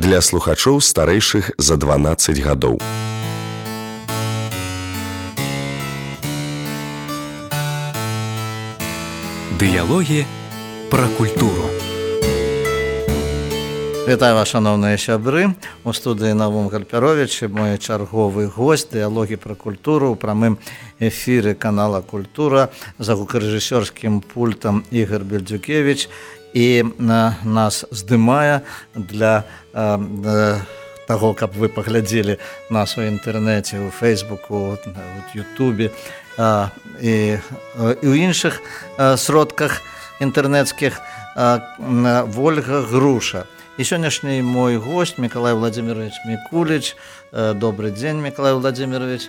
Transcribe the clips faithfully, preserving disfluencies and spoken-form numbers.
для слухачоў старэйшых за дванаццаць гадоў. Дыялогі пра культуру. Вітаю вас, шановныя сябры. У студыі Навум Гальпяровіч, мой чарговы госць дыялогі пра культуру ў прамым эфіры канала «Культура» за гукарэжысёрскім пультам Ігор Бельдзюкевіч. І на, нас здымае для э, э, таго, каб вы паглядзелі нас у інтэрнэце, у Фейсбуку, у Ютубе э, і, э, і ў іншых э, сродках інтэрнэцкіх э, Вольга Груша. І сённяшні мой гость Миколай Владимирович Микулич. Э, добрый день, Миколай Владимирович.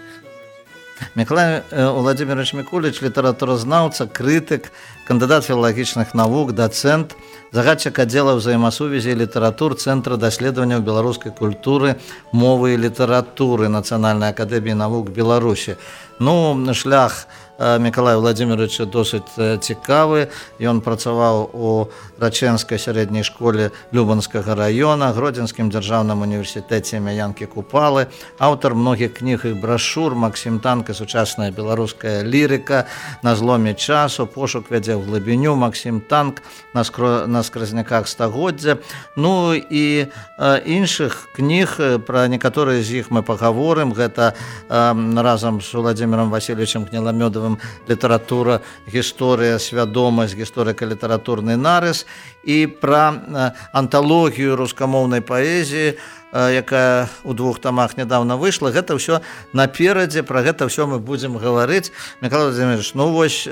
Миколай Владимирович Микулич, літаратуразнаўца, крытык, кандыдат філалагічных навук, дацэнт, загадчык аддзела ўзаемасувязі і літаратур Цэнтра даследаванняў беларускай культуры, мовы і літаратуры Нацыянальнай акадэміі навук Беларусі. Ну, шлях Миколая Владимировича досыць цікавы. Ён працаваў у Рачэнскай сярэдняй школе Любанскага района, Гродзенскім дзяржаўным універсітэце імя Янкі Купалы, аўтар многіх кніг і брашур, Максім Танка, сучасная беларуская лірыка, на зломе часу, пошук вядзе ў глыбіню, Максім Танк, на, скро... на скразняках стагоддзя. Ну і э, іншых кніг, пра некаторыя з іх мы пагаворым. Гэта э, разам з Владимиром Васильевичем Гнеламёдовым літаратура, гісторыя, свядомасць, гісторыка-літаратурны нарыс, і пра анталогію рускамоўнай паэзіі, якая ў двух тамах нядаўна выйшла. Гэта ўсё наперадзе, пра гэта ўсё мы будзем гаварыць. Миколай Владимирович, ну вось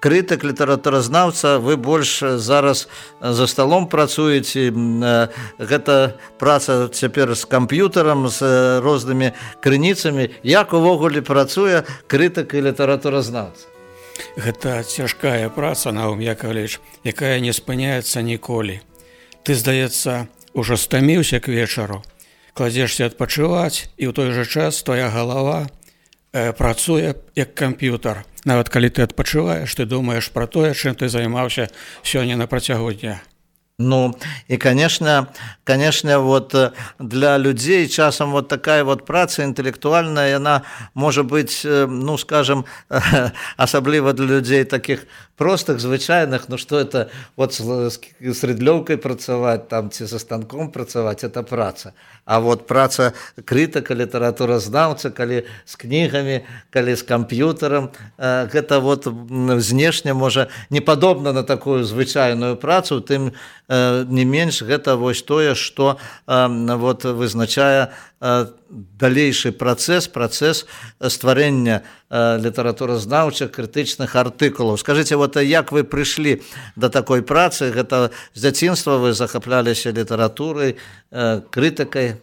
крытык, літаратуразнаўца, вы больш зараз за сталом працуеце. Гэта праца цяпер з камп'ютарам, з рознымі крыніцамі. Як увогуле працуе крытык і літаратуразнаўца? Гэта цяжкая праца, Навум Яковлевич, якая не спыняецца ніколі. Ты, здаецца, ужо стаміўся к вечару, кладзешся адпачываць, і ў той жа час твоя галава э, працуе як камп'ютар. Нават калі ты адпачываеш, ты думаеш пра тое, чым ты займаўся сёння на працягу дня. Ну, и, конечно, конечно, вот для людей часом вот такая вот праца интеллектуальная, она может быть, ну, скажем, особливо для людей таких простых, звычайных, ну, что это вот с, с рыдлёўкай працаваць, там, ці со станком працаваць, это праца. А вот праца крытыка, літаратуразнаўца, калі з кнігамі, калі з камп'ютарам, гэта вот знешне, можа, не падобна на такую звычайную працу, тым не менш гэта вось тое, што вот вызначае далейшы працэс, працэс стварэння літаратуразнаўчых крытычных артыкулаў. Скажыце, вот як вы прыйшлі да такой працы? Гэта з дзяцінства вы захапляліся літаратурай, крытыкай?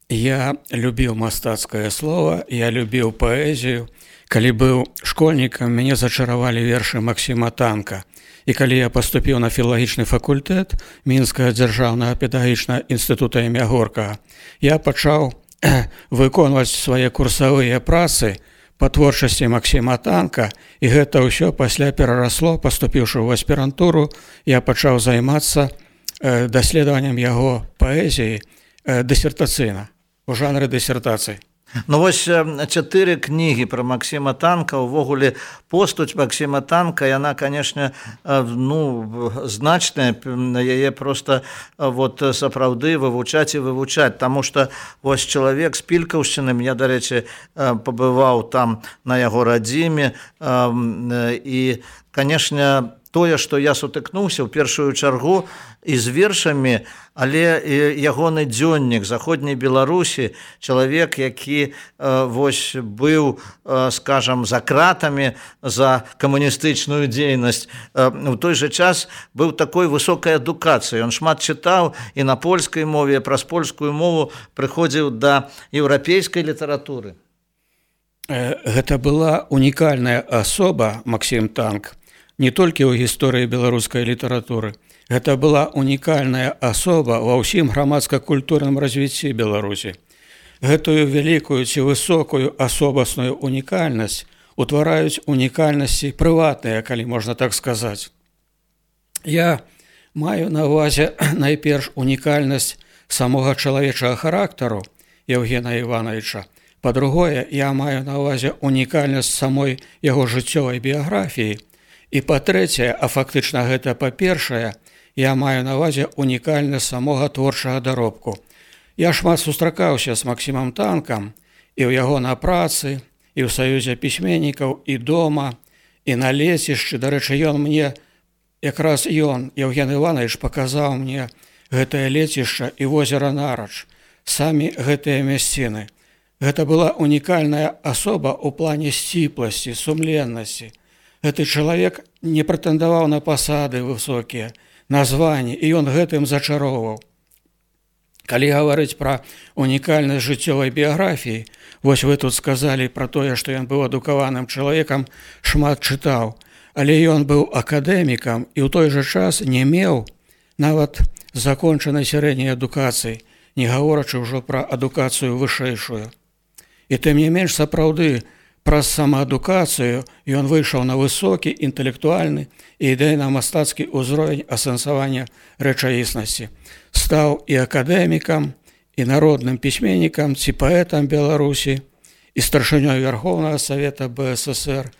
Я любіў мастацкае слова, я любіў паэзію. Калі быў школьнікам, мяне зачаравалі вершы Максіма Танка. І калі я паступіў на філалагічны факультэт Мінскага дзяржаўнага педагагічнага інстытута імя Горкага, я пачаў выконваць свае курсавыя працы па творчасці Максіма Танка, і гэта ўсё пасля перарасло, паступіўшы ў аспірантуру, я пачаў займацца даследаваннем яго паэзіі дысертацыйна, у жанры дысертацыі. Ну вось чатыры кнігі пра Максіма Танка, увогуле постаць Максіма Танка, яна, канешне, ну, значная, яе проста вот сапраўды вывучаць і вывучаць, таму што вось чалавек з Пількаўшчыны, я, дарэчы, пабываў там на яго радзіме, і, канешне, тое, што я сутыкнуўся ў першую чаргу і з вершамі, але ягоны дзённік заходняй Беларусі, чалавек, які вось быў, скажам, за кратамі за камуністычную дзейнасць, у той жа час быў такой высокай адукацыяй. Ён шмат чытаў і на польскай мове, праз польскую мову прыходзіў да еўрапейскай літаратуры. Гэта была унікальная асоба, Максім Танк, не толькі ў гісторыі беларускай літаратуры. Гэта была унікальная асоба ва ўсім грамадска-культурным развіцці Беларусі. Гэтую вялікую ці высокую асобасную унікальнасць утвараюць унікальнасці прыватныя, калі можна так сказаць. Я Маю на ўвазе найперш унікальнасць самога чалавечага характару Евгена Івановича. Па-другое, я маю на ўвазе унікальнасць самой яго жыццёвай біяграфіі. І па-трэцяе, а фактычна гэта па-першае, я маю на ўвазе унікальнасць самога творчага даробку. Я шмат сустракаўся з Максімам Танкам і ў яго на працы, і ў саюзе пісьменнікаў, і дома, і на лецішчы. Дарэчы, ён мне, якраз ён, Евген Іванович, паказаў мне гэтае лецішча і возера Нарач, самі гэтыя мясціны. Гэта была унікальная асоба ў плане сціпласці, сумленнасці. Гэты чалавек не прэтэндаваў на пасады высокія, на званні, і ён гэтым зачароўваў. Калі гаварыць пра унікальнасць жыццёвай біяграфіі, вось вы тут сказалі пра тое, што ён быў адукаваным чалавекам, шмат чытаў, але ён быў акадэмікам і ў той жа час не меў нават закончанай сярэдняй адукацыі, не гаворачы ўжо пра адукацыю вышэйшую. І тым не менш, сапраўды, праз самаадукацыю ён выйшаў на высокі, інтэлектуальны і ідэйна-мастацкі ўзровень асэнсавання рэчаіснасці. Стаў і акадэмікам, і народным пісьменнікам, ці паэтам Беларусі, і старшынёй Верховнага Савета Бэ Эс Эс Эр,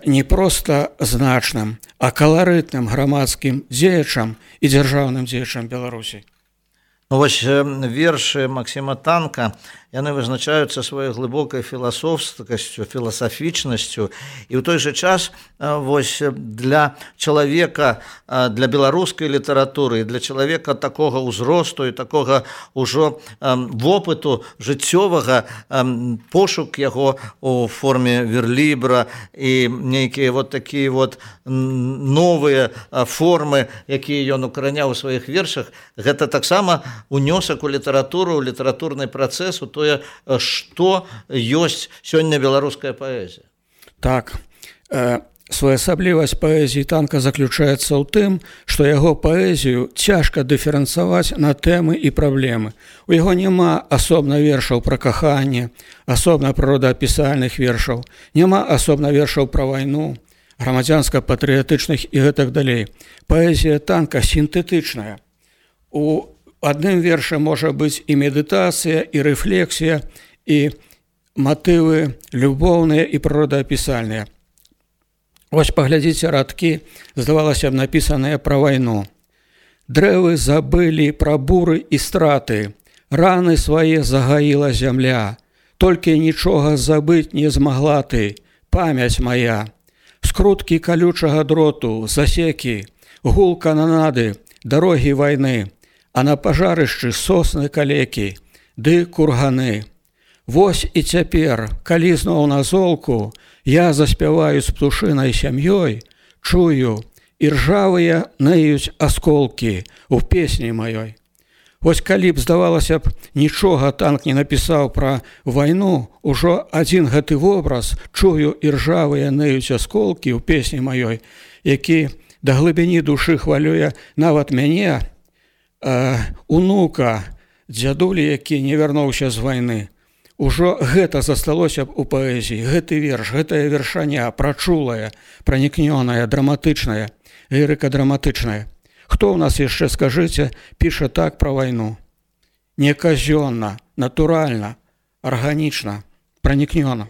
не проста значным, а каларытным грамадскім дзеячам і дзяржаўным дзеячам Беларусі. Вось вершы Максіма Танка, яны вызначаюцца сваёй глыбокай філасофскасцю, філасафічнасцю, і ў той жа час вось для чалавека, для беларускай літаратуры, для чалавека такога ўзросту і такога ўжо вопыту жыццёвага, пошук яго у форме верлібра і нейкія вот такія вот новыя формы, якія ён укараняў у сваіх вершах, гэта таксама унёсак у літаратуру, у літаратурны працэс, у тое, што ёсць сёння беларуская паэзія. Так, э, своеасаблівасць паэзіі Танка заключаецца ў тым, што яго паэзію цяжка дыферэнцаваць на тэмы і праблемы. У яго няма асобна вершаў пра каханне, асобна прыродаапісальных вершаў, няма асобна вершаў пра вайну, грамадзянска-патрыятычных і гэтак далей. Паэзія Танка сінтэтычная. У адным вершы можа быць і медытацыя, і рэфлексія, і матывы любоўныя і прыродаапісальныя. Вось паглядзіце радкі, здавалася б, напісаныя пра вайну. Дрэвы забылі пра буры і страты, раны свае загаіла зямля, толькі нічога забыць не змагла ты, памяць моя. Скруткі калючага дроту, засекі, гул кананады, дарогі вайны, а на пажарышчы сосны калекі, ды курганы. Вось і цяпер, калі зноў на золку, я заспяваю з птушынай сям'ёй, чую, і ржавыя ныюць асколкі ў песні маёй. Вось калі б, здавалася б, нічога Танк не напісаў пра вайну, ужо адзін гэты вобраз, чую, і ржавыя ныюць асколкі ў песні маёй, які да глыбіні душы хвалюе нават мяне, унука, дзядулі, які не вярнуўся з вайны. Ужо гэта засталося б у паэзіі, гэты верш, гэтая вершаня, прачулая, пранікнёная, драматычная, лірыка-драматычная. Хто ў нас яшчэ, скажыце, піша так пра вайну? Не казённа, натуральна, арганічна, пранікнёна.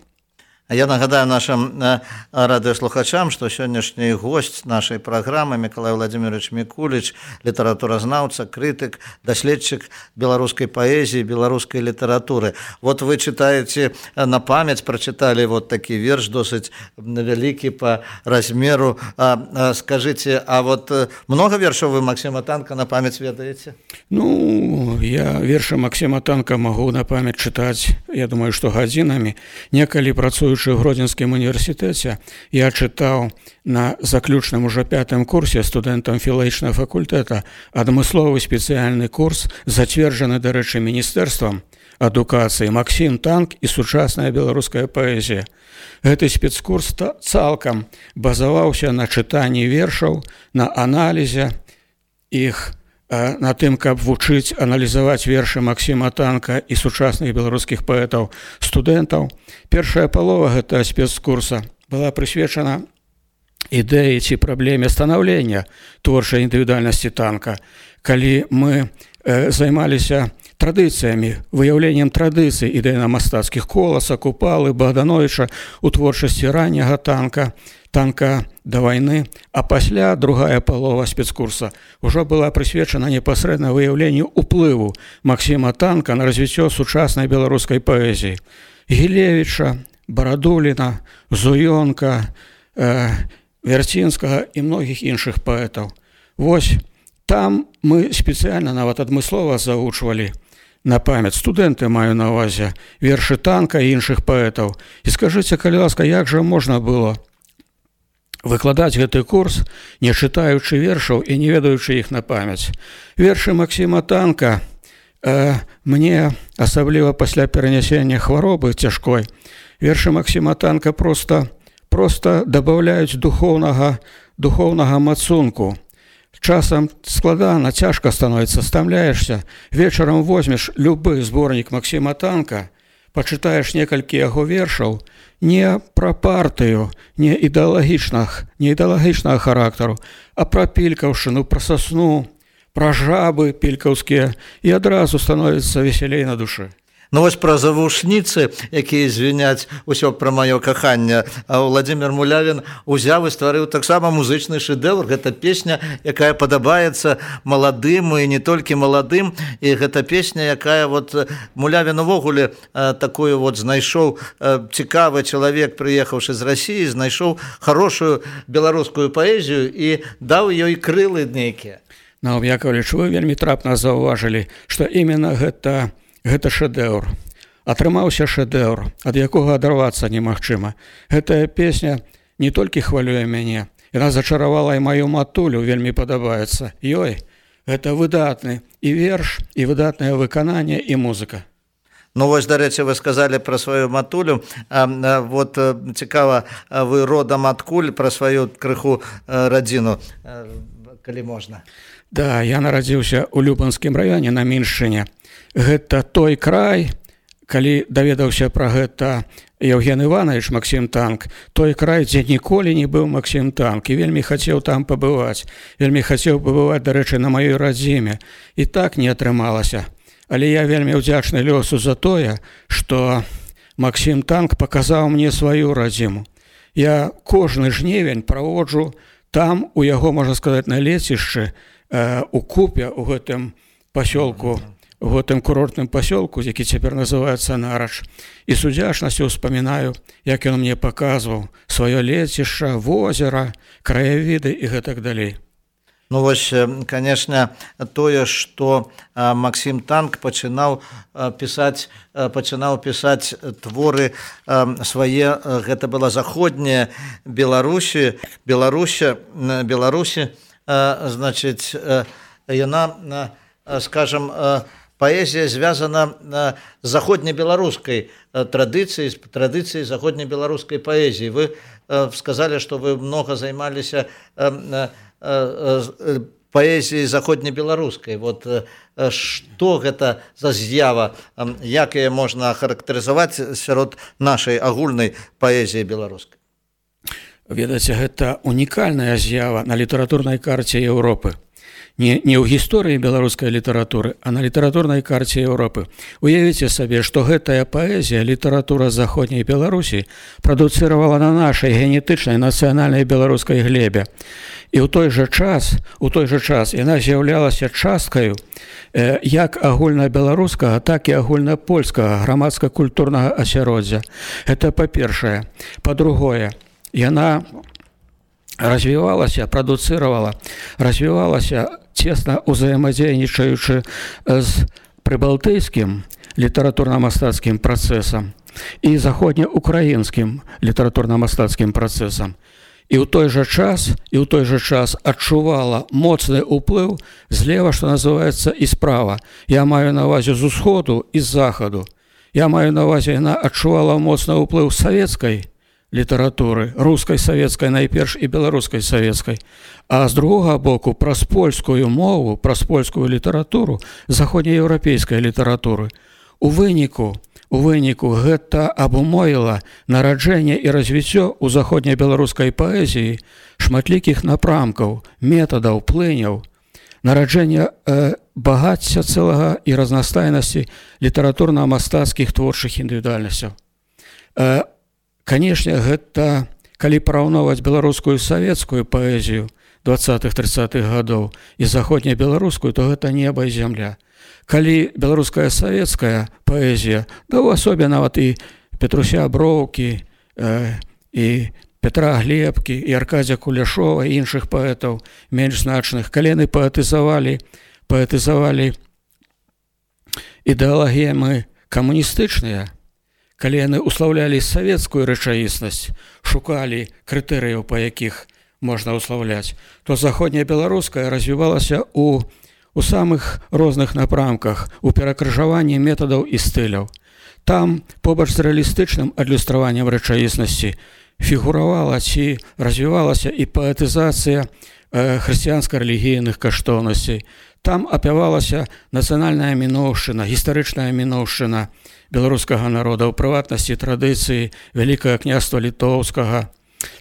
Я нагадаю нашим радыёслухачам, што сённяшні госць нашай праграмы Мікалай Владимирович Мікуліч, літаратуразнаўца, крытык, даследчык беларускай паэзіі, беларускай літаратуры. Вот вы читаете на памяць, прачыталі вот такі верш досыць вялікі па размеру. А, скажите, а вот много вершаў вы Максіма Танка на памяць ведаеце? Ну, я вершы Максіма Танка магу на памяць чытаць, я думаю, што гадзінамі. Некалі працуючы ў Гродзенскім універсітэце, я чытаў на заключным ужо пятым курсе студэнтам філалагічнага факультэта адмысловы спецыяльны курс, зацверджаны, дарэчы, міністэрствам адукацыі «Максім Танк і сучасная беларуская паэзія». Гэты спецкурс цалкам базаваўся на чытанні вершаў, на аналізе іх, на тым, каб вучыць аналізаваць вершы Максіма Танка і сучасных беларускіх паэтаў студэнтаў. Першая палова гэтага спецкурса была прысвечана ідэі ці праблеме станаўлення творчай індывідуальнасці танка, калі мы э, займаліся традыцыямі, выяўленнем традыцый ідэйна-мастацкіх Коласа, Купалы, Богдановича у творчасці ранняга танка, танка да вайны, а пасля другая палова спецкурса ўжо была прысвечана непасрэдна выяўленню ўплыву Максіма Танка на развіццё сучаснай беларускай паэзіі. Гілевіча, Барадуліна, Зуёнка, э, Вярцінскага і многіх іншых паэтаў. Вось там мы спецыяльна нават адмыслова завучвалі на памяць, студэнты маю на ўвазе, вершы Танка і іншых паэтаў. І скажыце, калі ласка, як жа можна было выкладаць гэты курс, не чытаючы вершаў і не ведаючы іх на памяць? Вершы Максіма Танка э, мне, асабліва пасля перанясення хваробы цяжкой, вершы Максіма Танка просто, просто дабаўляюць духоўнага, духоўнага мацунку. Часам складана, цяжка становіцца, стамляешся. Вечарам возьмеш любы зборнік Максіма Танка, пачытаеш некалькі яго вершаў, не пра партыю, не ідэалагічнага, не ідэалагічнага характару, а пра пількаўшчыну, пра сасну, пра жабы пількаўскія, і адразу становіцца весялей на душы. Ну вось пра завушніцы, якія звіняць усё пра маё каханне, Владзімір Мулявін узяў і стварыў таксама музычны шэдэўр. Гэта песня, якая падабаецца маладым і не толькі маладым, і гэта песня, якая вот Мулявін увогуле такую вот знайшоў, цікавы чалавек, прыехаўшы з Расіі, знайшоў хорошую беларускую паэзію і даў ёй крылы нейкія. Наум Яковлевич, вы вельмі трапна заўважылі, што именно гэта Гэта шэдэўр. Атрымаўся шэдэўр, ад якога адарвацца немагчыма. Гэтая песня не толькі хвалюе мяне, яна зачаравала і маю матулю, вельмі падабаецца. Ёй, гэта выдатны і верш, і выдатнае выкананне, і музыка. Ну вось, дарэчы, вы сказалі пра сваю матулю. А, а, вот цікава, вы родам адкуль, пра сваю крыху радзіну, калі можна? Да, я нарадзіўся ў Любанскім раёне на Міншчыне. Гэта той край, калі даведаўся пра гэта Евген Іванович Максім Танк, той край, дзе ніколі не быў Максім Танк, і вельмі хацеў там пабываць, вельмі хацеў пабываць, дарэчы, на маёй радзіме. І так не атрымалася. Але я вельмі ўдзячны лёсу за тое, што Максім Танк паказаў мне сваю радзіму. Я кожны жнівень праводжу там, у яго, можна сказаць, на лецішчы, э, у Купе, у гэтым пасёлку, у гэтым курортным пасёлку, які цяпер называецца Нарач. І з удзячнасцю ўспамінаю, як ён мне паказваў сваё лецішча, возера, краявіды і гэтак далей. Ну вось, конечно, тое, што Максім Танк пачынаў пісаць, пачынаў пісаць творы свае, гэта была заходняя Беларусі, Беларусі, Беларусі, значыць, яна, скажем, паэзія звязана з заходнебеларускай традыцыяй, традыцыяй заходнебеларускай паэзіі. Вы сказалі, што вы многа займаліся паэзіяй заходнебеларускай. Вот што гэта за з'ява, як яе можна характарызаваць сярод нашай агульнай паэзіі беларускай? Ведаеце, гэта унікальная з'ява на літаратурнай карце Еўропы. Не, не ў гісторыі беларускай літаратуры, а на літаратурнай карце Еўропы. Уявіце сабе, што гэтая паэзія, літаратура заходняй Беларусі прадуцыравала на нашай генетычнай нацыянальнай беларускай глебе. І ў той жа час, у той жа час яна з'яўлялася часткаю э, як агульнабеларускага, так і агульнапольскага грамадска-культурнага асяроддзя. Гэта па-першае. Па-другое, яна развівалася, прадуцыравала, развівалася цесна ўзаемадзейнічаючы з прыбалтыйскім літаратурна-мастацкім працэсам і заходнеукраінскім літаратурна-мастацкім працэсам. І ў той жа час, і ў той жа час адчувала моцны ўплыў злева, што называецца, і справа. Я маю на ўвазе з усходу і з захаду. Я маю на ўвазе, яна адчувала моцны ўплыў савецкай літаратуры, рускай савецкай найперш і беларускай савецкай, а з другога боку праз польскую мову, праз польскую літаратуру, заходнееўрапейскай літаратуры. У выніку, у выніку гэта абумовіла нараджэнне і развіццё ў заходнебеларускай паэзіі шматлікіх напрамкаў, метадаў, плыняў, нараджэнне э, багацця цэлага і разнастайнасці літаратурна-мастацкіх творчых індывідуальнасцяў. Э, канешне, гэта, калі параўноўваць беларускую савецкую паэзію двадцатых-трыццатых гадоў і заходнебеларускую, то гэта неба і зямля. Калі беларуская савецкая паэзія, да ў асобе нават і Петруся Броўкі, э, і Петра Глебкі, і Аркадзя Куляшова, і іншых паэтаў менш значных, калі яны паэтызавалі, паэтызавалі ідэалагемы камуністычныя, калі яны услаўлялі савецкую рэчаіснасць, шукалі крытэрыяў, па якіх можна услаўляць, то заходнебеларуская развівалася ў у самых розных напрамках, у перакрыжаванні метадаў і стыляў. Там, побач з рэалістычным адлюстраваннем рэчаіснасці, фігуравала ці развівалася і паэтызацыя э, хрысціянска-рэлігійных каштоўнасцей. Там апявалася нацыянальная міноўшчына, гістарычная міноўшчына беларускага народа, у прыватнасці традыцыі Вялікага княства літоўскага.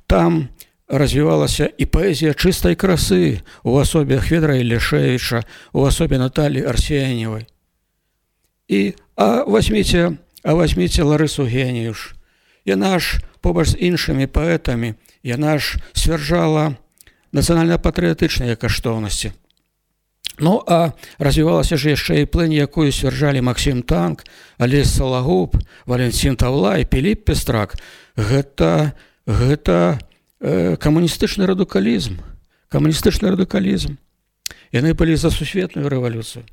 Там развівалася і паэзія чыстай красы у асобе Хведра Ілішэвіча, у асобе Наталі Арсеньевай. І а возьміце, а возьміце Ларысу Геніюш. Яна ж побач з іншымі паэтамі, яна ж сцвярджала нацыянальна-патрыятычныя каштоўнасці. Ну, а развівалася ж яшчэ і плынь, якую сцвярджалі Максім Танк, Алесь Салагуб, Валентин Тавлай, Піліп Пестрак. Гэта, гэта камуністычны радыкалізм, камуністычны радыкалізм. Яны былі за сусветную рэвалюцыю.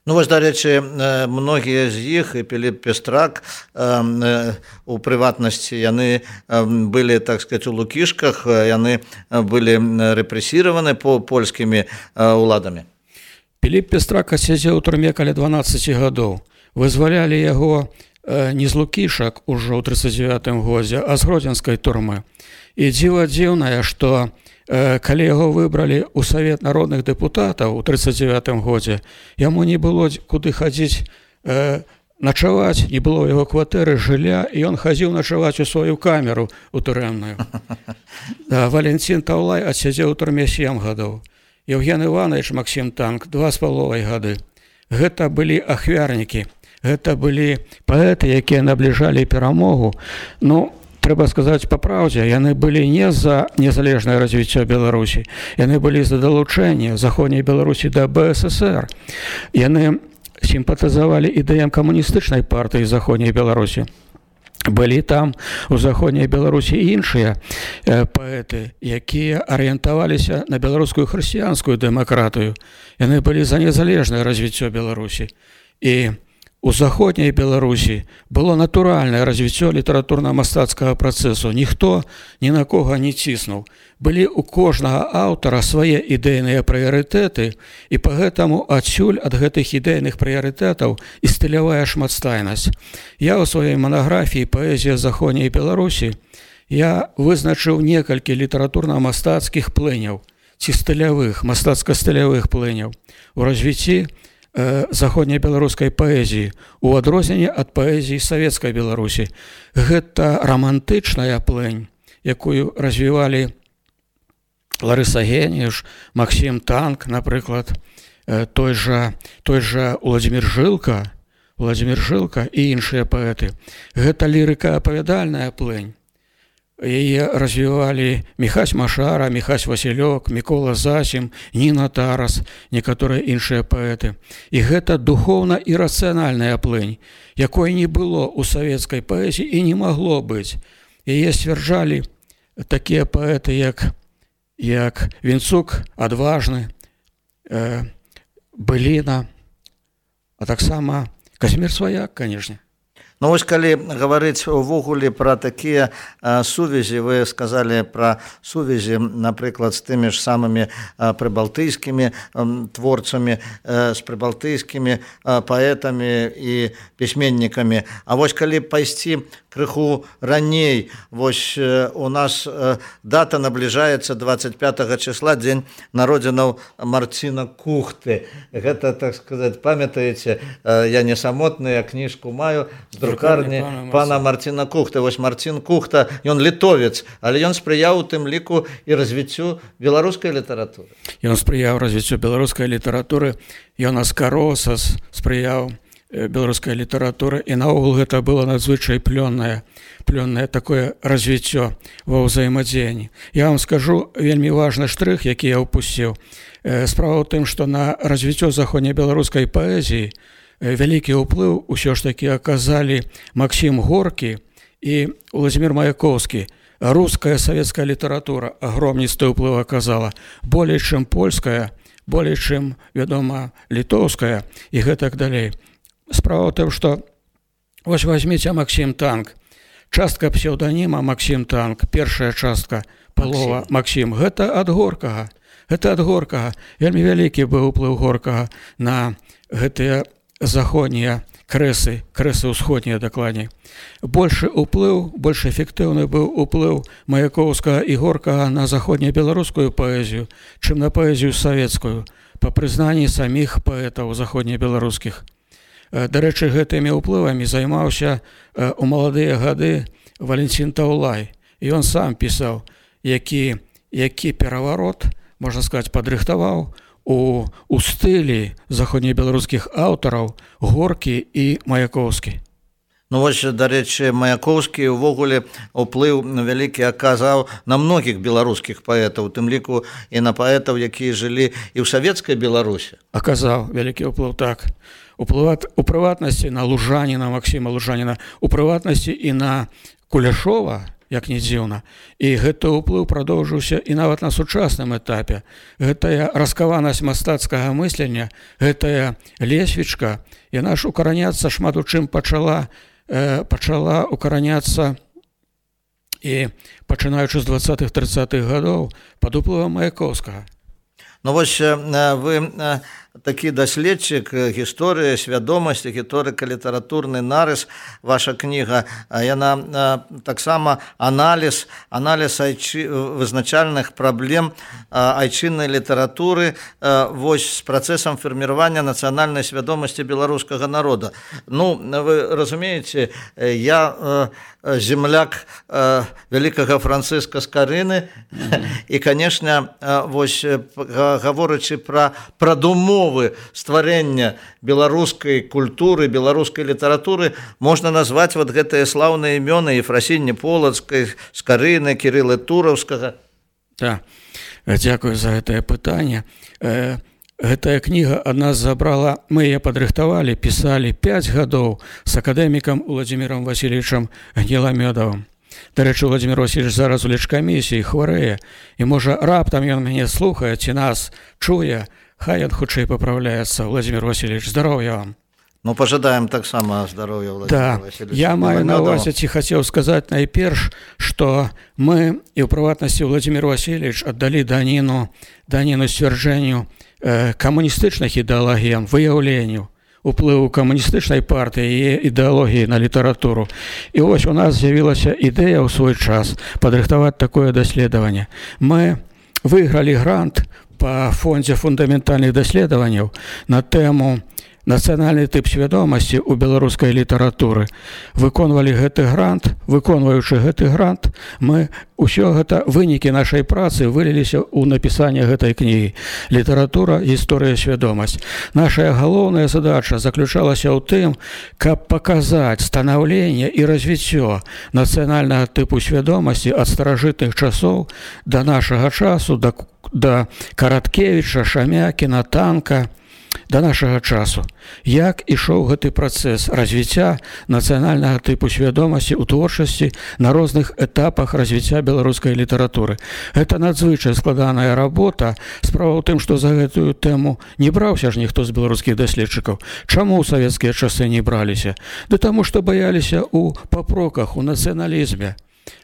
Ну, вось, дарэчы, многія з іх, і Піліп Пестрак, у прыватнасці, яны былі, так сказаць, у Лукішках, яны былі рэпрэсіраваны польскімі ўладамі. Піліп Пестрак сядзеў у турме каля дванаццаці гадоў. Вызвалялі яго не з Лукішак ужо ў трыццаць дзевятым годзе, а з гродзенскай турмы. І дзіва дзіўнае, што э, калі яго выбралі ў Савет народных дэпутатаў у трыццаць дзевятым годзе, яму не было куды хадзіць э, начаваць, не было ў яго кватэры, жылля, і ён хадзіў начаваць у сваю камеру у турэмную. Да, Валентин Тавлай адсядзеў у турме сем гадоў. Евген Іванович Максім Танк два з паловай гады. Гэта былі ахвярнікі, гэта былі паэты, якія набліжалі перамогу. Ну, трэба сказаць па праўдзе, яны былі не за незалежнае развіццё Беларусі, яны былі за далучэнне заходняй Беларусі да Бэ Эс Эс Эр. Яны сімпатызавалі ідэям камуністычнай партыі заходняй Беларусі. Былі там у заходняй Беларусі іншыя э, паэты, якія арыентаваліся на беларускую хрысціянскую дэмакратыю. Яны былі за незалежнае развіццё Беларусі. І у заходняй Беларусі было натуральнае развіццё літаратурна-мастацкага працэсу. Ніхто ні на кога не ціснуў. Былі ў кожнага аўтара свае ідэйныя прыярытэты, і пагэтаму адсюль ад гэтых ідэйных прыярытэтаў і стылявая шматстайнасць. Я ў сваёй манаграфіі «Паэзія заходняй Беларусі» я вызначыў некалькі літаратурна-мастацкіх плыняў, ці стылявых, мастацка-стылявых плыняў у развіцці заходняй беларускай паэзіі у адрозненне ад паэзіі савецкай Беларусі. Гэта романтычная плынь, якую развівалі Ларыса Геніюш, Максім Танк, напрыклад, той жа, той жа Уладзімір Жылка, Уладзімір Жылка і іншыя паэты. Гэта лірыка-апавядальная плынь. Яе развівалі Міхась Машара, Міхась Васілёк, Мікола Засім, Ніна Тарас, некаторыя іншыя паэты. І гэта духоўна і рацыянальная плынь, якой не было ў савецкай паэзіі і не магло быць. Яе сцвярджалі такія паэты, як, як Вінцук, Адважны, э, Быліна, а таксама Казімір Сваяк, канешне. Ну, вось калі гаварыць увогуле пра такія а, сувязі, вы сказалі пра сувязі, напрыклад, з тымі ж самымі а, прыбалтыйскімі а, творцамі, а, з прыбалтыйскімі а, паэтамі і пісьменнікамі. А вось калі пайсці крыху раней, вось а, у нас а, дата набліжаецца дваццаць пятага числа, дзень народзінаў Марціна Кухты. Гэта, так сказаць, памятаеце, а, я не самотны, я кніжку маю, з друкарні пана Марціна Кухта. Вось Марцін Кухта, ён літовец, але ён спрыяў у тым ліку і развіццю беларускай літаратуры. Ён спрыяў развіццю беларускай літаратуры, ён аскаросас спрыяў беларускай літаратуры, і наогул гэта было надзвычай плённае, плённае такое развіццё ва ўзаемадзеянні. Я вам скажу вельмі важны штрых, які я ўпусціў. Справа ў тым, што на развіццё заходнебеларускай паэзіі вялікі ўплыў усё ж такі аказалі Максім Горкі і Владзімір Маяковскі. Руская савецкая літаратура агромністы ўплыў аказала, болей чым польская, болей чым, вядома, літоўская і гэтак далей. Справа ў тым, што вось вазьміце Максім Танк. Частка псеўданіма Максім Танк, першая частка, палова Максім. Гэта ад Горкага. Гэта ад Горкага. Вельмі вялікі быў уплыў Горкага на гэтыя заходнія крэсы, крэсы ўсходнія дакладней. Большы уплыў, больш эфектыўны быў уплыў Маяковскага і Горкага на заходнебеларускую паэзію, чым на паэзію савецкую, па прызнанні саміх паэтаў заходнебеларускіх. Дарэчы, гэтымі ўплывамі займаўся у маладыя гады Валентин Таўлай. І ён сам пісаў, які, які пераварот, можна сказаць, падрыхтаваў у, у стылі заходнебеларускіх аўтараў Горкі і Маяковскі. Ну вось, дарэчы, Маяковскі ўвогуле ўплыў вялікі аказаў на многіх беларускіх паэтаў, у тым ліку і на паэтаў, якія жылі і ў савецкай Беларусі. Аказаў вялікі ўплыў, так. У прыватнасці на Лужаніна, Максіма Лужаніна, у прыватнасці і на Куляшова, як не дзіўна. І гэты ўплыў прадоўжыўся і нават на сучасным этапе. Гэтая раскаванасць мастацкага мыслення, гэтая лесвічка, яна ж укараняцца шмат у чым пачала, э, пачала укараняцца і пачынаючы з дваццатых-трыццатых гадоў пад уплывам Маяковскага. Ну вось вы такі даследчык гісторыі, свядомасці, гісторыка, літаратурны нарыс, ваша кніга, яна таксама аналіз, аналіз айчы, вызначальных праблем айчыннай літаратуры вось з працэсам фарміравання нацыянальнай свядомасці беларускага народа. Ну, вы разумееце, я земляк вялікага Францыска Скарыны, і, канешне, вось гаворачы пра прадумовы стварэння беларускай культуры, беларускай літаратуры, можна назваць вот гэтыя слаўныя імёны Ефрасіні Полацкай, Скарыны, Кірыла Тураўскага. Так, дзякую за гэтае пытанне. Гэтая кніга ад нас забрала, мы яе падрыхтавалі, пісалі пяць гадоў з акадэмікам Владзімірам Васильевичам Гнеламёдавым. Дарэчы, Владзімір Васильевич зараз у лечкамісіі хварэе, і можа раптам ён мяне слухае, ці нас чуе, хай ён хутчэй папраўляецца. Владзімір Васильевич, здароўя вам. Ну, пожадаем таксама здоров'я, Владимир да. Васильевич. Я маю на увазі, ці хацеў сказаць найперш, што мы, і ў прыватнасці Владимир Васильевич, аддалі даніну, даніну сцвярджэнню э, камуністычных ідэалогіям, выяўленню уплыву камуністычнай партыі і ідэалогіі на літаратуру. І вось у нас з'явілася ідэя ў свой час падрыхтаваць такое даследаванне. Мы выйгралі грант па фондзе фундаментальных даследаванняў на тэму нацыянальны тып свядомасці ў беларускай літаратуры. Выконвалі гэты грант, выконваючы гэты грант, мы ўсё гэта вынікі нашай працы выліліся ў напісанне гэтай кнігі «Літаратура, гісторыя, свядомасць». Наша галоўная задача заключалася ў тым, каб паказаць станаўленне і развіццё нацыянальнага тыпу свядомасці ад старажытных часоў да нашага часу, да, да Караткевіча, Шамякіна, Танка, да нашага часу. Як ішоў гэты працэс развіцця нацыянальнага тыпу свядомасці ў творчасці на розных этапах развіцця беларускай літаратуры. Гэта надзвычай складаная работа. Справа ў тым, што за гэтую тэму не браўся ж ніхто з беларускіх даследчыкаў. Чаму ў савецкія часы не браліся? Да таму, што баяліся ў папроках, у нацыяналізме.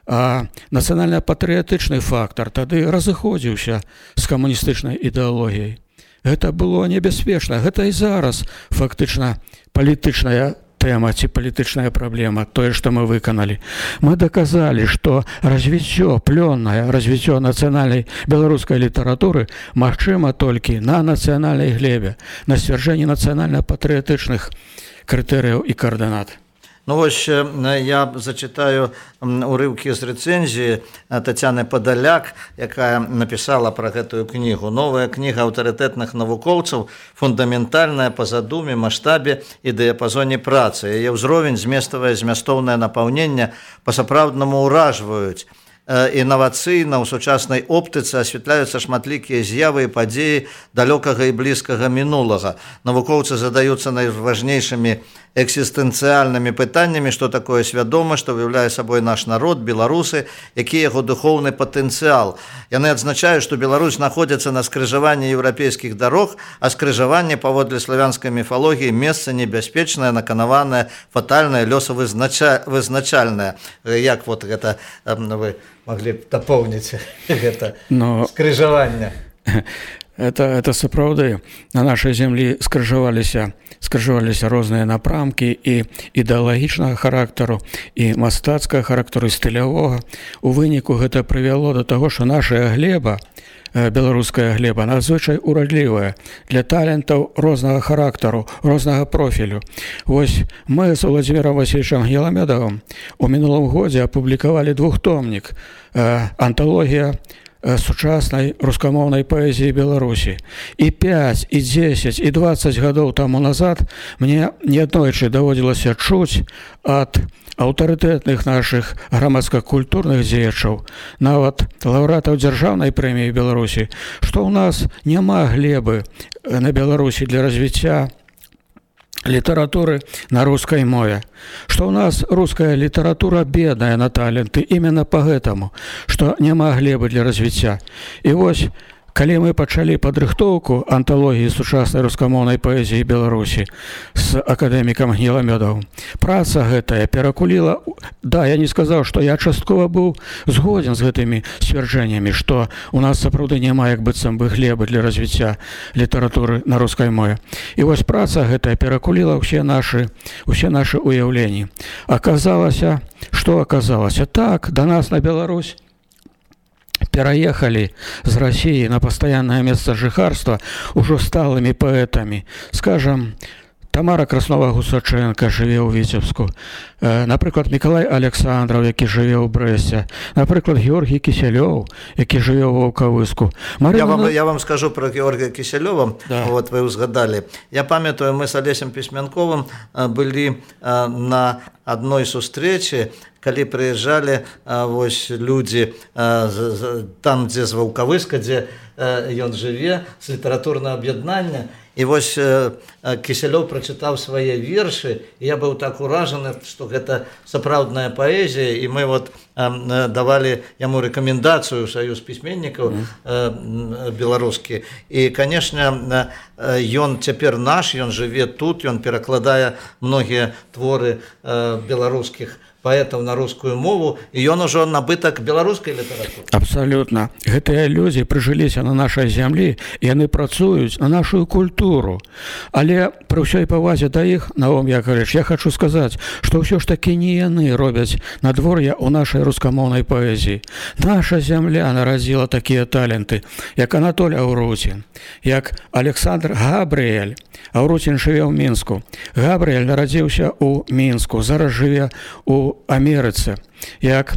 А нацыянальна-патрыятычны фактар тады разыходзіўся з камуністычнай ідэалогіяй. Гэта было небяспечна. Гэта і зараз фактычна палітычная тэма ці палітычная праблема, тое, што мы выканалі. Мы даказалі, што развіццё, плённае развіццё нацыянальнай беларускай літаратуры магчыма толькі на нацыянальнай глебе, на сцвярджэнні нацыянальна-патрыятычных крытэрыяў і каардынат. Ну вось я зачитаю урыўкі з рэцэнзіі Тацяны Падаляк, якая напісала пра гэтую кнігу. Новая кніга аўтарытэтных навукоўцаў, фундаментальная па задуме, маштабе і дыяпазоне працы. Яе ўзровень, зместавае змястоўнае напаўненне па-сапраўднаму ўражваюць. Інавацыйна ў сучаснай оптыцы асвятляюцца шматлікія з'явы і падзеі далёкага і блізкага мінулага. Навукоўцы задаюцца найважнейшымі экзістэнцыяльнымі пытаннямі, што такое свядома, што выяўляе сабой наш народ, беларусы, які яго духоўны патэнцыял. Яны адзначаюць, што Беларусь знаходзіцца на скрыжаванні еўрапейскіх дарог, а скрыжаванне паводле славянскай міфалогіі месца небяспечнае, наканаванае, фатальнае, лёсавызначальнае. Як вот гэта вы маглі б дапоўніць гэта Но... скрыжаванне? Это, это сапраўды. На нашай зямлі скрыжаваліся, скрыжаваліся розныя напрамкі і ідэалагічнага характару, і мастацкага характару, і стылявога. У выніку гэта прывяло да таго, што наша глеба, беларуская глеба, надзвычай урадлівая для талентаў рознага характару, рознага профілю. Вось мы з Владзімірам Васильевичам Геламедовым у мінулым годзе апублікавалі двухтомнік «Анталогія сучаснай рускамоўнай паэзіі Беларусі. І пяць, і дзесяць, і дваццаць гадоў таму назад мне неаднойчы даводзілася чуць ад аўтарытэтных нашых грамадска-культурных дзеячаў, нават лаўрэатаў дзяржаўнай прэміі Беларусі, што ў нас няма глебы на Беларусі для развіцця літаратуры на рускай мове, што ў нас руская літаратура бедная на таленты именно по гэтаму, што няма глебы для развіцця. І вось, калі мы пачалі падрыхтоўку анталогіі сучаснай рускамоўнай паэзіі Беларусі з акадэмікам Геламедовым, праца гэтая перакуліла. Да, я не сказаў, што я часткова быў згоден з гэтымі сцвярджэннямі, што у нас сапраўды няма як быццам бы глебы для развіцця літаратуры на рускай мове. І вось праца гэтая перакуліла ўсе нашы, усе нашы уяўленні. Аказалася, што аказалася? Так, да нас на Беларусь пераехалі з Расіі на пастаяннае месца жыхарства ўжо сталымі паэтамі. Скажам, Тамара Краснова-Гусаченко жыве ў Віцебску, напрыклад, Мікалай Александраў, які жыве ў Брэсце, напрыклад, Георгій Кісялёў, які жыве ў Ваўкавыску. Марина... Я, вам, я вам скажу про Георгія Кісялёва, да. Вот вы узгадали. Я памятаю, мы с Олесем Пісьменковым былі на адной сустрэчы, калі прыязджалі вось людзі там, дзе з Ваўкавыска, дзе ён жыве, з літаратурнага аб'яднання. І вось Кісялёў прачытаў свае вершы, і я быў так уражаны, што гэта сапраўдная паэзія, і мы вот давалі яму рэкамендацыю ў саюз пісьменнікаў беларускі. І, канешне, ён цяпер наш, ён жыве тут, ён перакладае многія творы беларускіх паэтаў на рускую мову, і ён ужо набытак беларускай літаратуры. Абсалютна. Гэтыя людзі прыжыліся на нашай зямлі, і яны працуюць на нашу культуру. Але пры ўсёй павазе да іх, Наум Яковлевич, я хочу сказаць, што ўсё ж такі не яны робяць надвор'я ў нашай рускамоўнай паэзіі. Наша зямля нарадзіла такія таленты, як Анатоль Аўруцін, як Александр Габрыэль. Аўруцін жыве ў Мінску. Габрыэль нарадзіўся ў Мінску, зараз жыве ў Амерыцы. Як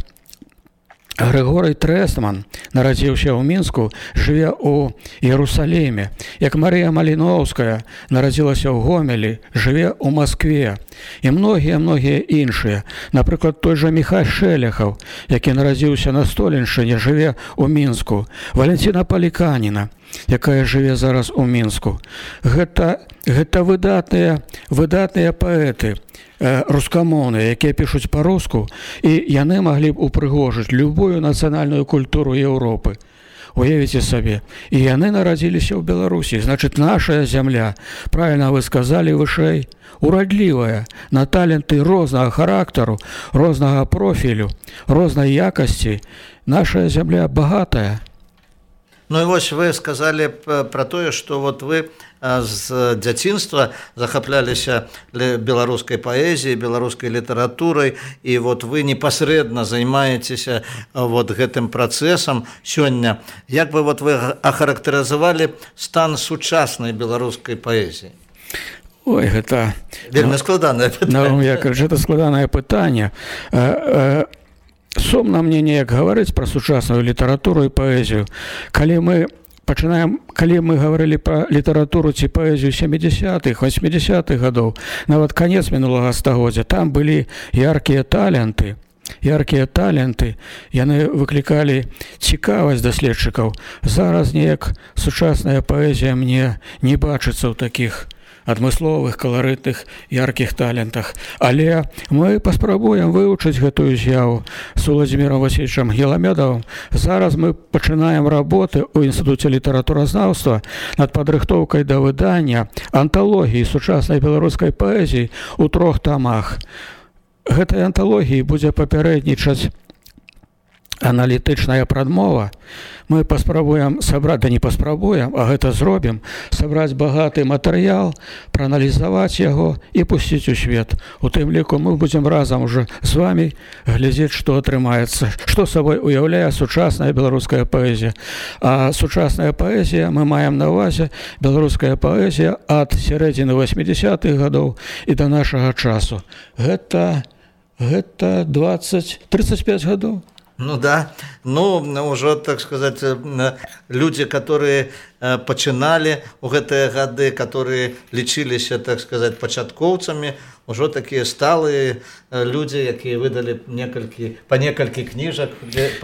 Григорий Трестман нарадзіўся ў Мінску, жыве ў Іерусаліме. Як Марія Маліноўская нарадзілася ў Гомелі, жыве ў Маскве. І многія-многія іншыя. Напрыклад, той жа Міхай Шелехаў, які нарадзіўся на Столеншчыне, жыве ў Мінску. Валентина Паліканіна, якая жыве зараз у Мінску. Гэта, гэта выдатныя, выдатныя паэты, рускамоўныя, якія пішуць па-руску, і яны маглі б упрыгожыць любую нацыянальную культуру Еўропы. Уявіце сабе. І яны нарадзіліся ў Беларусі. Значыць, наша зямля, правільна вы сказалі вышэй, урадлівая на таленты рознага характару, рознага профілю, рознай якасці. Наша зямля багатая. Ну і вось вы сказалі пра тое, што вот вы з дзяцінства захапляліся беларускай паэзіяй, беларускай літаратурай, і вот вы непасрэдна займаецеся вот гэтым працэсам сёння. Як бы вот вы ахарактарызавалі стан сучаснай беларускай паэзіі? Ой, гэта вельмі складанае пытанне. Ну, я кажу, гэта складанае пытанне. Сумна мне неяк гаварыць пра сучасную літаратуру і паэзію. Калі мы пачынаем, калі мы гаварылі пра літаратуру ці паэзію сямідзясятых, васьмідзясятых гадоў, нават канец мінулага стагоддзя, там былі яркія таленты, яркія таленты, яны выклікалі цікавасць даследчыкаў. Зараз неяк сучасная паэзія мне не бачыцца ў такіх адмысловых, каларытных, яркіх талентах. Але мы паспрабуем вывучыць гэтую з'яву з Уладзімірам Васильевичам Геламёдавым. Зараз мы пачынаем работы ў Інстытуце літаратуразнаўства над падрыхтоўкай да выдання анталогіі сучаснай беларускай паэзіі ў трох тамах. Гэтай анталогіі будзе папярэднічаць аналітычная прадмова. Мы паспрабуем сабраць, да не паспрабуем, а гэта зробім, сабраць багаты матэрыял, прааналізаваць яго і пусціць у свет. У тым ліку мы будзем разам уже з вами глядзець, што атрымаецца, што сабой уяўляе сучасная беларуская паэзія. А сучасная паэзія, мы маем на ўвазе беларуская паэзія ад сярэдзіны васьмідзясятых гадоў і да нашага часу. Гэта, гэта двадцать тридцать пять гадоў. Ну да, ну уже, так сказать, люди, которые пачыналі ў гэтыя гады, которые лічыліся, так сказать, пачаткоўцамі, уже такія сталыя люди, якія выдалі некалькі, па некалькі кніжак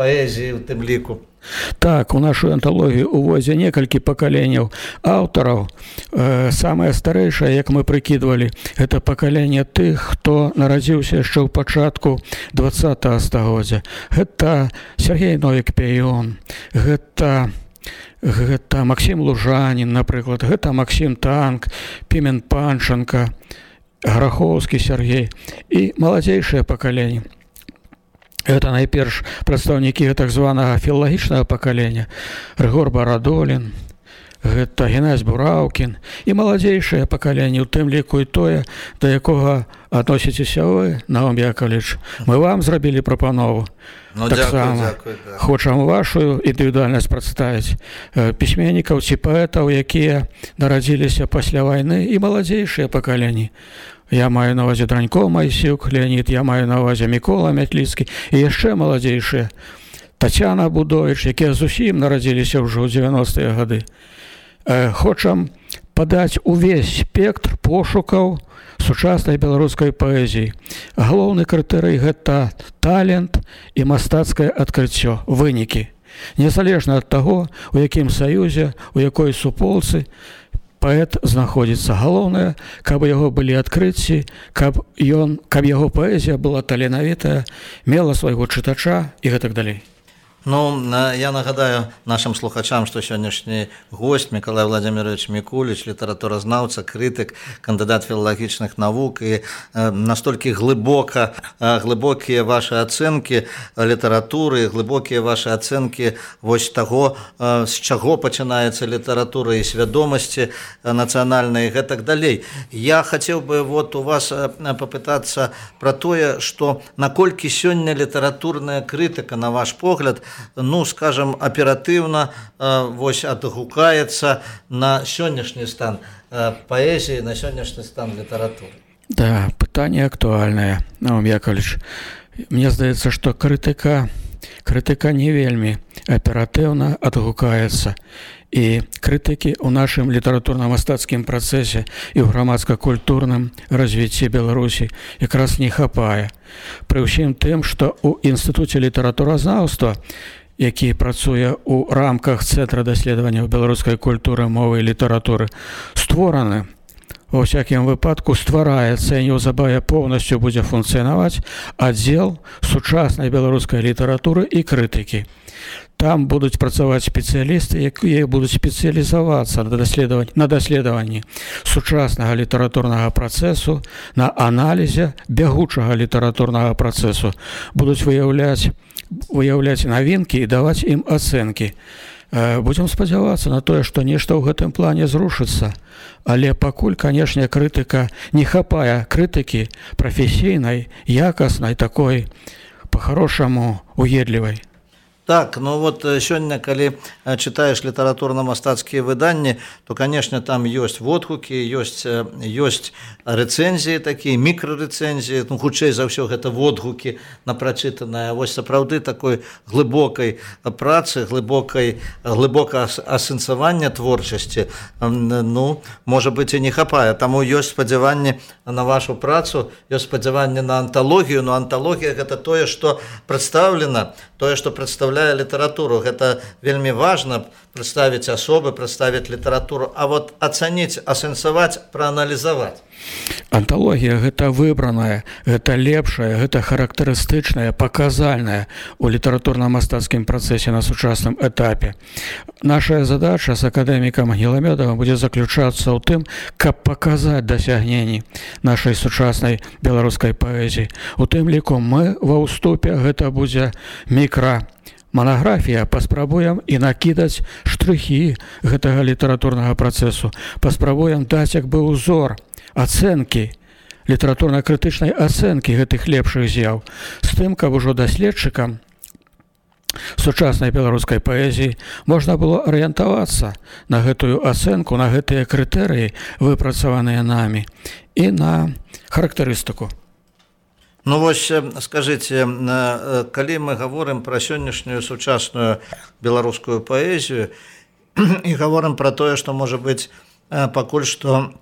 паэзіі ў тым ліку. Так, у нашу анталогію уводзе некалькі пакаленняў аўтараў. Э, самае старэйшае, як мы прыкідвалі, гэта пакаленне тых, хто нарадзіўся яшчэ ў пачатку двадцатага стагоддзя. Гэта Сергей Новік-Пяён, гэта, гэта Максім Лужанін, напрыклад, гэта Максім Танк, Пімен Панченко, Грахоўскі Сергей і маладзейшае пакаленне. Это найперш прадстаўнікі так званага філалагічнага пакалення. Рыгор Барадолін, гэта Геннадзь Бураўкін і маладзейшае пакаленне, у тым ліку і тое, да якога адносіцеся вы, Наум Яковлевич. Мы вам зрабілі прапанову. Ну, так дякую, само дякую, да. Хочам вашу індывідуальнасць прадставіць пісьменнікаў ці паэтаў, якія нарадзіліся пасля вайны, і маладзейшыя пакаленні. Я маю на ўвазе Дранько Майсюк, Леонид, я маю на ўвазе Мікола Мятліцкі і яшчэ маладзейшыя. Тацяна Будовіч, якія зусім нарадзіліся ўжо ў дзевяностыя гады. Э, хочам падаць увесь спектр пошукаў сучаснай беларускай паэзіі. Галоўны крытэрый гэта талент і мастацкае адкрыццё, вынікі. Незалежна ад таго, у якім саюзе, у якой суполцы паэт знаходзіцца. Галоўнае, каб яго былі адкрыцці, каб, ён, каб яго паэзія была таленавітая, мела свайго чытача і гэтак далей. Ну, я нагадаю нашим слухачам, что сённяшні гость Миколай Владимирович Микулич, літаратуразнаўца, крытык, кандыдат філалагічных навук, і настолькі глыбока, глыбокія ваши ацэнкі літаратуры, глыбокія ваши ацэнкі вось таго, з чаго пачынаецца літаратура і свядомасці нацыянальнай і гэтак далей. Я хацеў бы вот у вас попытацца пра тое, што наколькі сёння літаратурная крытыка, на ваш погляд, ну, скажем, оперативно э, вось адгукаецца на сённяшні стан э, паэзіі, на сённяшні стан літаратуры. Да, пытанне актуальнае, Наум Яковлевич. Мне здаецца, што крытыка, крытыка не вельмі аператыўна адгукаецца. І крытыкі ў нашым літаратурна-мастацкім працэсе і ў грамадска-культурным развіцці Беларусі якраз не хапае. Пры ўсім тым, што ў Інстытуце літаратуразнаўства, які працуе ў рамках Цэнтра даследаванняў беларускай культуры, мовы і літаратуры, створаны, ва ўсякім выпадку ствараецца і неўзабаве поўнасцю будзе функцыянаваць аддзел сучаснай беларускай літаратуры і крытыкі. Там будуць працаваць спецыялісты, якія будуць спецыялізавацца на даследаванні, на даследаванні сучаснага літаратурнага працэсу, на аналізе бягучага літаратурнага працэсу. Будуць выяўляць, выяўляць навінкі і даваць ім ацэнкі. Будзем спадзявацца на тое, што нешта ў гэтым плане зрушыцца. Але пакуль, канешне, крытыка не хапае крытыкі прафесійнай, якаснай, такой, па-харошаму, уедлівай. Так, ну вот сёння, калі читаешь літаратурна-мастацкія выданні, то, конечно, там ёсць водгукі, ёсць, ёсць рэцэнзіі такія, мікрарэцэнзіі, ну, хутчэй за ўсё гэта водгукі на прачытанае. Вось сапраўды такой глыбокай працы, глыбокай, глыбока асэнсавання творчасці, ну, можа быць, і не хапае. Таму ёсць спадзяванне на вашу працу, ёсць спадзяванне на анталогію, но анталогія гэта тое, што прадстаўлена, тое, што прадстаўляе літаратуру. Гэта вельмі важна прадставіць асобы, прадставіць літаратуру, а вот ацаніць, асэнсаваць, прааналізаваць. Анталогія гэта выбраная, гэта лепшая, гэта характарыстычная, паказальная у літаратурна-мастацкім працэсе на сучасным этапе. Наша задача з акадэмікам Гіламёдавым будзе заключацца ў тым, каб паказаць дасягненні нашай сучаснай беларускай паэзіі. У тым ліку мы ва ўступе, гэта будзе мікра манаграфія, паспрабуем і накідаць штрыхі гэтага літаратурнага працэсу, паспрабуем даць як бы ўзор ацэнкі, літаратурна-крытычнай ацэнкі гэтых лепшых з'яў, з тым, каб ужо даследчыкам сучаснай беларускай паэзіі можна было арыентавацца на гэтую ацэнку, на гэтыя крытэрыі, выпрацаваныя намі, і на характарыстыку. Ну вось, скажыце, калі мы гаворым пра сённяшнюю сучасную беларускую паэзію і гаворым пра тое, што, можа быць, пакуль што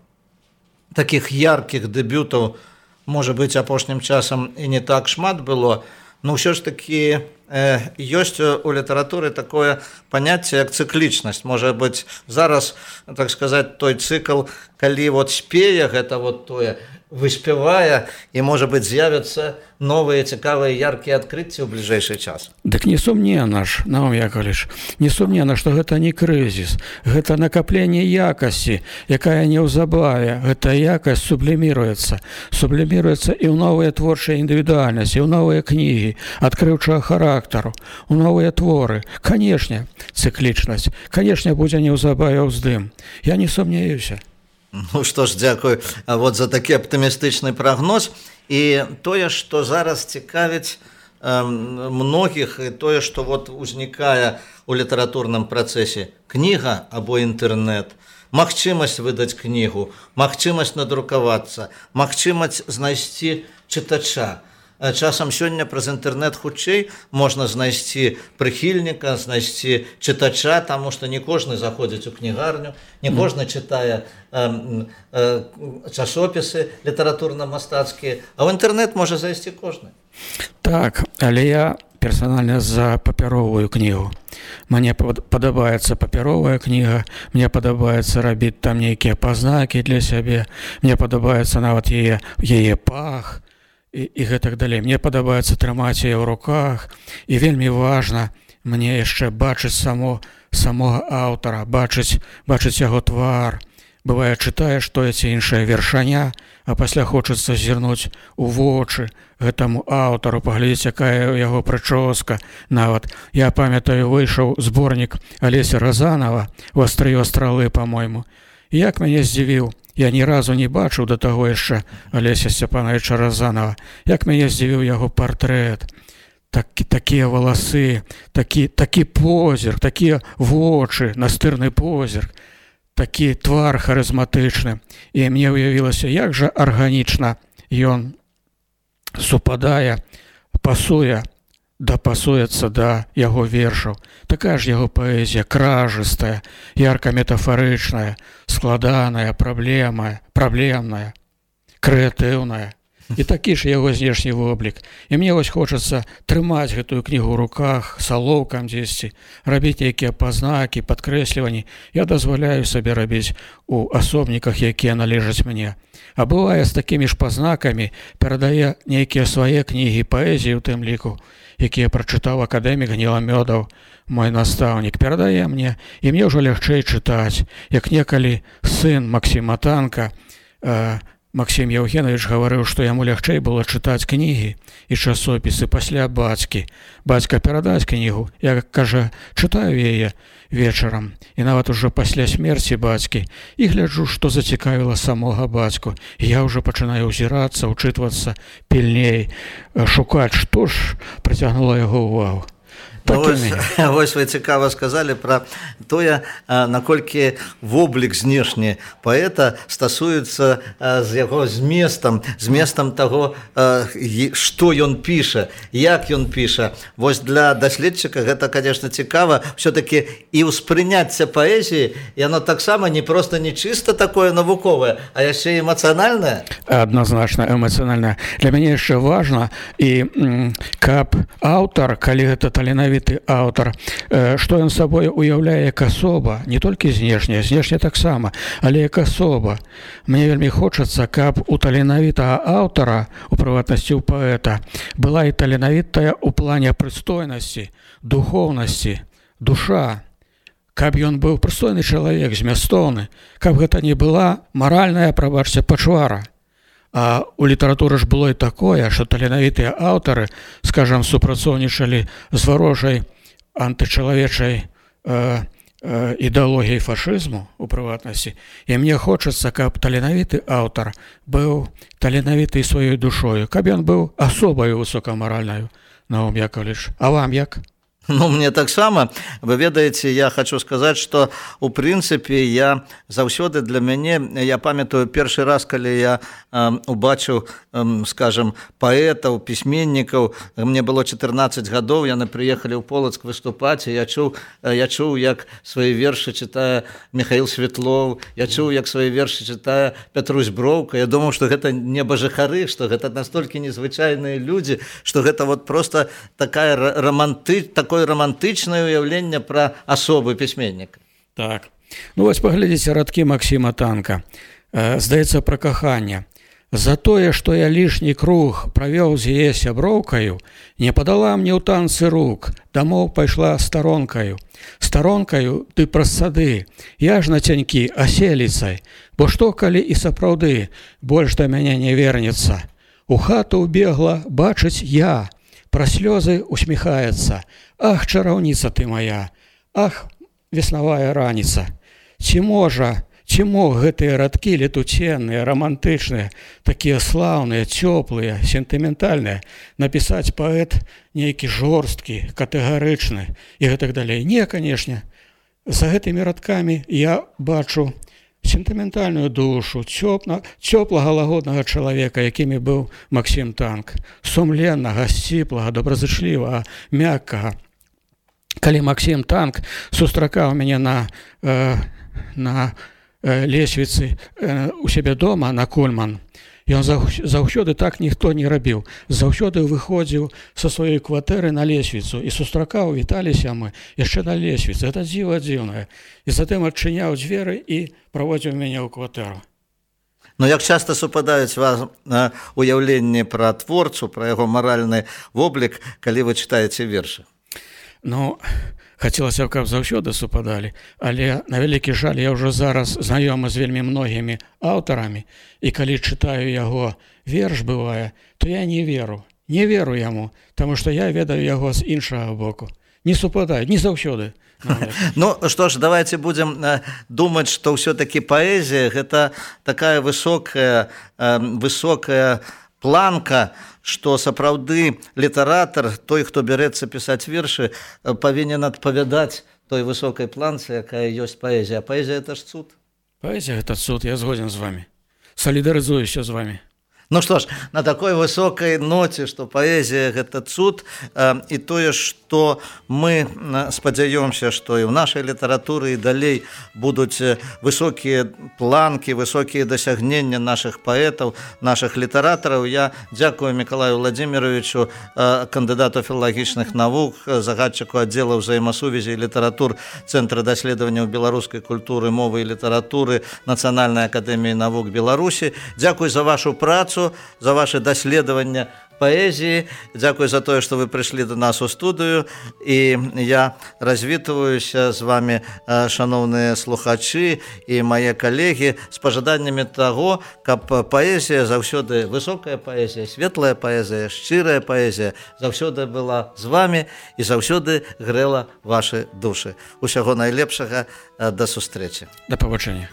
такіх яркіх дэбютаў, можа быць, апошнім часам і не так шмат было, но ўсё ж такі ёсць у літаратуры такое паняцце, як цыклічнасць. Можа быць, зараз, так сказаць, той цыкл, калі вот спее гэта вот тое, выспявае, і, можа быць, з'явяцца новыя цікавыя яркія адкрыцці ў бліжэйшы час. Дык несумненна ж, Наум Яковлевич, несумненна, што гэта не крызіс, гэта накапленне якасці, якая неўзабаве, гэта якасць субліміруецца, субліміруецца і ў новыя творчыя індывідуальнасці, і ў новыя кнігі, адкрыўчага характару, у новыя творы. Канешне, цыклічнасць, канешне, будзе неўзабаве ўздым. Я не сумнеюся. Ну што ж, дзякую вот за такі аптымістычны прагноз. І тое, што зараз цікавіць э, многіх, і тое, што вот узнікае у літаратурным працэсе, кніга або інтэрнэт, магчымасць выдаць кнігу, магчымасць надрукавацца, магчымасць знайсці чытача. Часам сёння праз інтэрнэт хутчэй можна знайсці прыхільніка, знайсці чытача, таму што не кожны заходзіць у кнігарню, не кожны чытае э, э, часопісы літаратурна-мастацкія, а ў інтэрнэт можа зайсці кожны. Так, але я персанальна за папяровую кнігу. Мне падабаецца папяровая кніга, мне падабаецца рабіць там нейкія пазнакі для сябе, мне падабаецца нават яе, яе пах, і, і гэтак далей. Мне падабаецца трымаць яе ў руках, і вельмі важна мне яшчэ бачыць само, самога аўтара, бачыць, бачыць яго твар. Бывае, чытаеш тое ці іншае вершаня, а пасля хочацца зірнуць у вочы гэтаму аўтару, паглядзець, якая ў яго прычоска. Нават я памятаю, выйшаў зборнік Алеся Разанова «Вастрыё стралы», па-мойму. Як мяне здзівіў, я ні разу не бачыў да таго яшчэ Алеся Сцяпановича Разанова, як мяне здзівіў яго партрэт. Так, такія валасы, такі, такі позірк, такія вочы, настырны позірк, такі твар харызматычны. І мне ўявілася, як жа арганічна ён супадае, пасуе, дапасуецца да яго вершаў. Такая ж яго паэзія, кражыстая, ярка-метафарычная, складаная, праблема, праблемная, крэатыўная. І такі ж яго знешні воблік. І мне вось хочацца трымаць гэтую кнігу ў руках, салоўкам дзесьці, рабіць нейкія пазнакі, падкрэсліванні. Я дазваляю сабе рабіць у асобніках, якія належаць мне. А бывае, з такімі ж пазнакамі перадае нейкія свае кнігі, паэзіі ў тым ліку, якія прачытаў акадэмік Гніламёдаў, мой настаўнік, перадае мне, і мне ўжо лягчэй чытаць. Як некалі сын Максіма Танка, э, Максім Яўгенович гаварыў, што яму лягчэй было чытаць кнігі і часопісы пасля бацькі. Бацька перадаць кнігу, я, кажа, чытаю яе вечарам, і нават ужо пасля смерці бацькі, і гляджу, што зацікавіла самога бацьку. І я ўжо пачынаю ўзірацца, учытвацца пільней, шукаць, што ж прыцягнула яго ўвагу. Ну, вось, вось вы цікава сказалі пра тое, наколькі воблік знешні паэта стасуецца з яго зместам, зместам таго, што ён піша, як ён піша. Вось для даследчыка гэта, конечно, цікава. Все-таки і ўспрыняцце паэзіі, яно таксама не просто не чыста такое навуковае, а яшчэ эмацыянальнае. Адназначна эмацыянальнае. Для мяне яшчэ важна, і каб аўтар, калі гэта таленавіты аўтар, што ён сабой уяўляе як асоба, не толькі знешне, знешне таксама, але як асоба. Мне вельмі хочацца, каб у таленавітага аўтара, у прыватнасці ў паэта, была і таленавітая ў плане прыстойнасці, духоўнасці, душа, каб ён быў прыстойны чалавек, змястоўны, каб гэта не была маральная, прабачце, пачвара. А у літаратуры ж было і такое, што таленавітыя аўтары, скажам, супрацоўнічалі з варожай антычалавечай э, э, ідэалогіяй фашызму у прыватнасці. І мне хочацца, каб таленавіты аўтар быў таленавіты сваёй душою, каб ён быў асобаю высокамаральнаю, Наум Яковлевич. А вам як? Ну, мне таксама, вы ведаеце, я хочу сказаць, што у прынцыпе я заўсёды для мяне, я памятаю першы раз, калі я э, убачыў, э, скажем, паэтаў, пісьменнікаў, мне было чатырнаццаць гадоў, яны прыехалі ў Полацк выступаць, і я чуў, я чуў, як свае вершы чытае Михаил Светлов, я чуў, як свае вершы чытае Пятрусь Броўка. Я думаў, што гэта не бажахары, што гэта настолькі незвычайныя людзі, што гэта вот просто такая романты, такое романтычнае ўяўленне пра асобы пісьменніка. Так. Ну вось паглядзіце радкі Максіма Танка. Э, здаецца, пра каханне. За тое, што я лішні круг правёў з яе сяброўкаю, не падала мне ў танцы рук, дамоў пайшла старонкаю. Старонкаю ты праз сады, я ж на цянькі аселіцай, бо што, калі і сапраўды больш да мяне не вернецца. У хату ўбегла бачыць я, пра слёзы усміхаецца. Ах, чараўніца ты моя, ах, веснавая раніца. Ці можа, ці мог гэтыя радкі летуценныя, романтычныя, такія слаўныя, цёплыя, сентыментальныя, напісаць паэт нейкі жорсткі, катэгарычны і гэтак далей? Не, канешне. За гэтымі радкамі я бачу сентыментальную душу, цёплага, лагоднага чалавека, якімі быў Максім Танк, сумленнага, сціплага, добразычлівага, мяккага. Калі Максім Танк сустракаў мяне на, э, на э, лесвіцы э, у сябе дома на Кульман, ён заўсёды так ніхто не рабіў. Заўсёды выходзіў са сваёй кватэры на лесвіцу і сустракаў, віталіся мы яшчэ на лесвіцы. Гэта дзіва дзіўнае. І затым адчыняў дзверы і праводзіў мяне ў кватэру. Ну, як часта супадаюць вас уяўленні пра творцу, пра яго маральны воблік, калі вы чытаеце вершы? Ну, хацелася б, каб заўсёды супадалі, але на вялікі жаль я ўжо зараз знаёмы з вельмі многімі аўтарамі, і калі чытаю яго верш бывае, то я не веру, не веру яму, таму што я ведаю яго з іншага боку. Не супадаюць, не заўсёды. Ну, што ж, давайте будзем думаць, што ўсё-такі паэзія гэта такая высокая, высокая планка, што сапраўды літаратар, той, хто бярэцца пісаць вершы, павінен адпавядаць той высокай планцы, якая ёсць паэзія. А паэзія – это ж цуд. Паэзія – это цуд, я згоден з вами. Солідарызуюся з вами. Ну што ж, на такой высокай ноце, што паэзія – гэта цуд, і тое, што мы спадзяёмся, што і ў нашай літаратуры і далей будуць высокія планкі, высокія дасягнення нашых паэтаў, нашых літаратараў. Я дзякую Мікалаю Владзіміровичу, кандыдату філалагічных навук, загадчыку аддзела ўзаемасувязі і літаратур Цэнтра даследаванняў беларускай культуры, мовы і літаратуры Нацыянальнай акадэміі навук Беларусі. Дзякуй за вашу працу, за ваше даследаванне паэзіі. Дзякуй за тое, што вы прыйшлі до нас у студыю. І я развітваюся з вами, шановныя слухачы і мае калегі, з пажаданнямі таго, каб паэзія заўсёды, высокая паэзія, светлая паэзія, шчырая паэзія заўсёды была з вами і заўсёды грэла вашы душы. Усяго найлепшага, да сустрэчы. Да пабачэння.